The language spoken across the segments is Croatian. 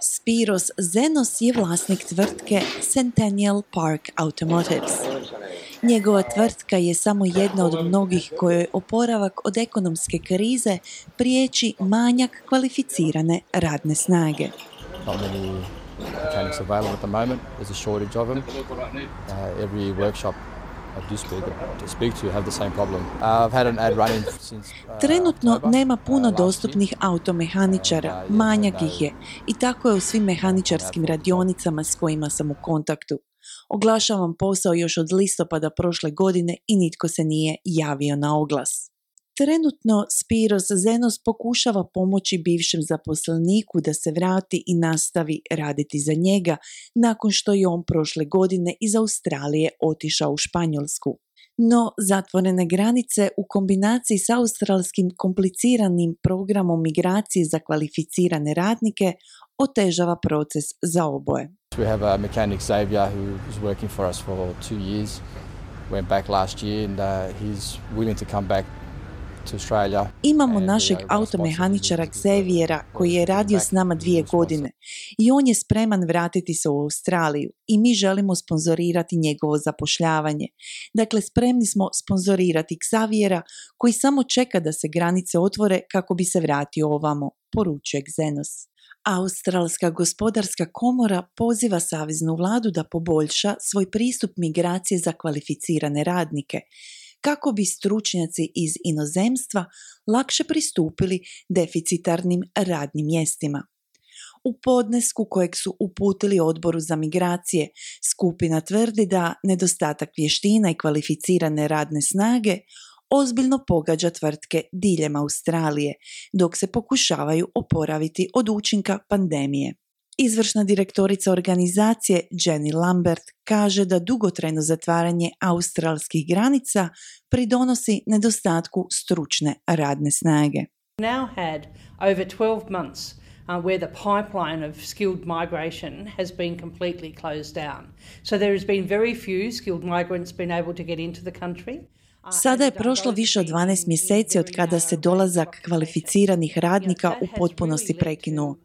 Spiros Zenos je vlasnik tvrtke Centennial Park Automotives. Njegova tvrtka je samo jedna od mnogih kojoj oporavak od ekonomske krize priječi manjak kvalificirane radne snage. Not many mechanics available at the moment. There's a shortage of them. Every workshop I do speak to have the same problem. I've had an ad running since Trenutno nema puno dostupnih automehaničara, manjak ih je i tako je u svim mehaničarskim radionicama s kojima sam u kontaktu. Oglašavam posao još od listopada prošle godine i nitko se nije javio na oglas. Trenutno Spiros Zenos pokušava pomoći bivšem zaposleniku da se vrati i nastavi raditi za njega nakon što je on prošle godine iz Australije otišao u Španjolsku. No, zatvorene granice u kombinaciji s australskim kompliciranim programom migracije za kvalificirane radnike otežava proces za oboje. We have a mechanic Xavier who is working for us for 2 years. Went back last year and he's willing to come back to Australia. Imamo našeg automehaničara Xaviera koji je radio s nama 2 godine i on je spreman vratiti se u Australiju i mi želimo sponzorirati njegovo zapošljavanje. Dakle, spremni smo sponzorirati Xaviera koji samo čeka da se granice otvore kako bi se vratio ovamo, poručuje Zenos. Australska gospodarska komora poziva saveznu vladu da poboljša svoj pristup migracije za kvalificirane radnike, kako bi stručnjaci iz inozemstva lakše pristupili deficitarnim radnim mjestima. U podnesku kojeg su uputili Odboru za migracije, skupina tvrdi da nedostatak vještina i kvalificirane radne snage ozbiljno pogađa tvrtke diljem Australije, dok se pokušavaju oporaviti od učinka pandemije. Izvršna direktorica organizacije Jenny Lambert kaže da dugotrajno zatvaranje australskih granica pridonosi nedostatku stručne radne snage. Now had over 12 months where the pipeline of skilled migration has been completely closed down. So there has been very few skilled migrants been able to get into the country. Sada je prošlo više od 12 mjeseci od kada se dolazak kvalificiranih radnika u potpunosti prekinuo.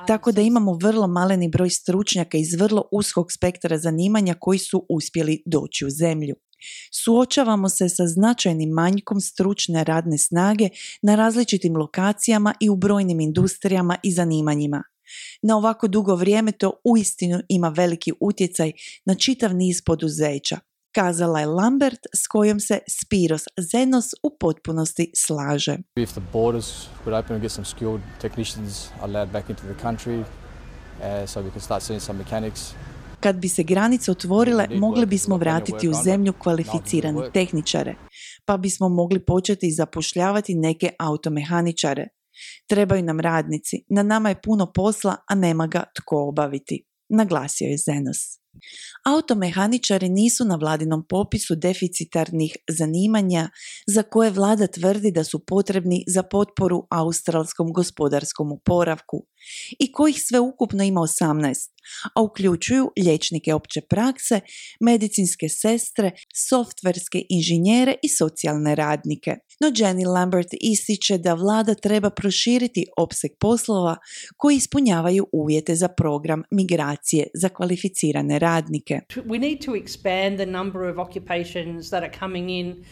Tako da imamo vrlo maleni broj stručnjaka iz vrlo uskog spektra zanimanja koji su uspjeli doći u zemlju. Suočavamo se sa značajnim manjkom stručne radne snage na različitim lokacijama i u brojnim industrijama i zanimanjima. Na ovako dugo vrijeme to uistinu ima veliki utjecaj na čitav niz poduzeća, kazala je Lambert, s kojom se Spiros Zenos u potpunosti slaže. If the borders would open and get some skilled technicians allowed back into the country, so we can start seeing some mechanics. Kad bi se granice otvorile, mogli bismo vratiti u zemlju kvalificirane tehničare, pa bismo mogli početi zapošljavati neke automehaničare. Trebaju nam radnici, na nama je puno posla, a nema ga tko obaviti, naglasio je Zenos. Automehaničari nisu na vladinom popisu deficitarnih zanimanja za koje vlada tvrdi da su potrebni za potporu australskom gospodarskom oporavku i kojih sve ukupno ima 18, a uključuju liječnike opće prakse, medicinske sestre, softverske inženjere i socijalne radnike. No Jenny Lambert ističe da vlada treba proširiti opseg poslova koji ispunjavaju uvjete za program migracije za kvalificirane radnike. We need to expand the number of occupations that are coming in,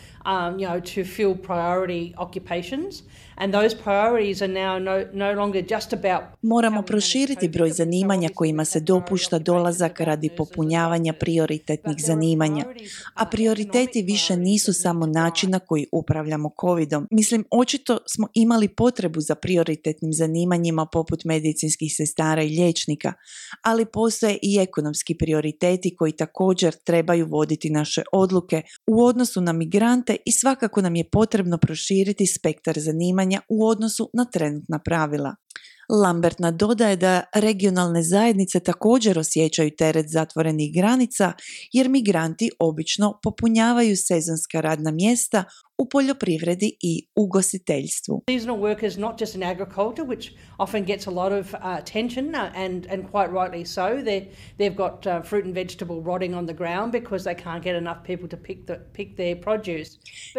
to fill priority occupations, and those priorities are now no longer just about. Moramo proširiti broj zanimanja kojima se dopušta dolazak radi popunjavanja prioritetnih zanimanja, a prioriteti više nisu samo način na koji upravljamo covidom. Mislim, očito smo imali potrebu za prioritetnim zanimanjima poput medicinskih sestara i liječnika, ali postoje i ekonomski prioriteti koji također trebaju voditi naše odluke u odnosu na migrante i svakako nam je potrebno proširiti spektar zanimanja u odnosu na trenutna pravila. Lambert nadodaje da regionalne zajednice također osjećaju teret zatvorenih granica jer migranti obično popunjavaju sezonska radna mjesta u poljoprivredi i ugostiteljstvu. Seasonal workers, not just in agriculture, which often gets a lot of attention and quite rightly so. They've got fruit and vegetable rotting on the ground because they can't get enough people to pick their produce.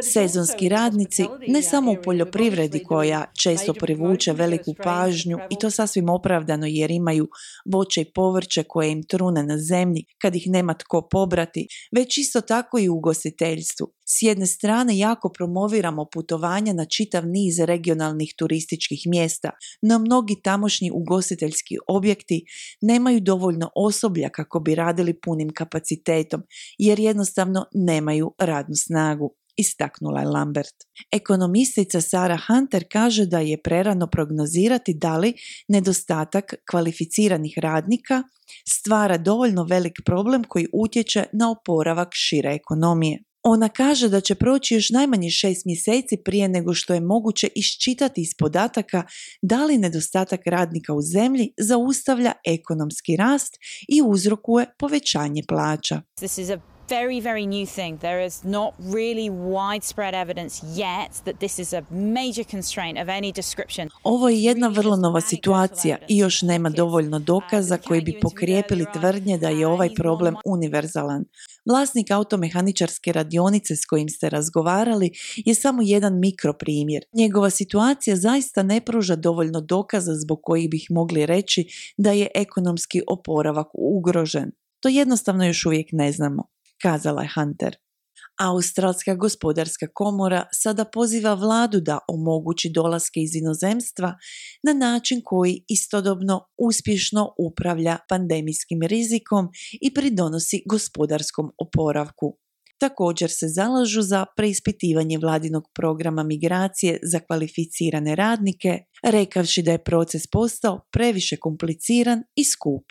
Sezonski radnici, ne samo u poljoprivredi koja često privuče veliku pažnju i to sasvim opravdano jer imaju voće i povrće koje im trune na zemlji kad ih nema tko pobrati, već isto tako i u ugostiteljstvu. S jedne strane jako promoviramo putovanja na čitav niz regionalnih turističkih mjesta, no mnogi tamošnji ugostiteljski objekti nemaju dovoljno osoblja kako bi radili punim kapacitetom, jer jednostavno nemaju radnu snagu, istaknula je Lambert. Ekonomistica Sarah Hunter kaže da je prerano prognozirati da li nedostatak kvalificiranih radnika stvara dovoljno velik problem koji utječe na oporavak šire ekonomije. Ona kaže da će proći još najmanje 6 mjeseci prije nego što je moguće iščitati iz podataka da li nedostatak radnika u zemlji zaustavlja ekonomski rast i uzrokuje povećanje plaća. This is a very new thing. There is not really widespread evidence yet that this is a major constraint of any description. Ovo je jedna vrlo nova situacija i još nema dovoljno dokaza koji bi pokrijepili tvrdnje da je ovaj problem univerzalan. Vlasnik automehaničarske radionice s kojim ste razgovarali je samo jedan mikroprimjer. Njegova situacija zaista ne pruža dovoljno dokaza zbog kojih bih mogli reći da je ekonomski oporavak ugrožen. To jednostavno još uvijek ne znamo, kazala je Hunter. Australska gospodarska komora sada poziva vladu da omogući dolaske iz inozemstva na način koji istodobno uspješno upravlja pandemijskim rizikom i pridonosi gospodarskom oporavku. Također se zalažu za preispitivanje vladinog programa migracije za kvalificirane radnike, rekavši da je proces postao previše kompliciran i skup.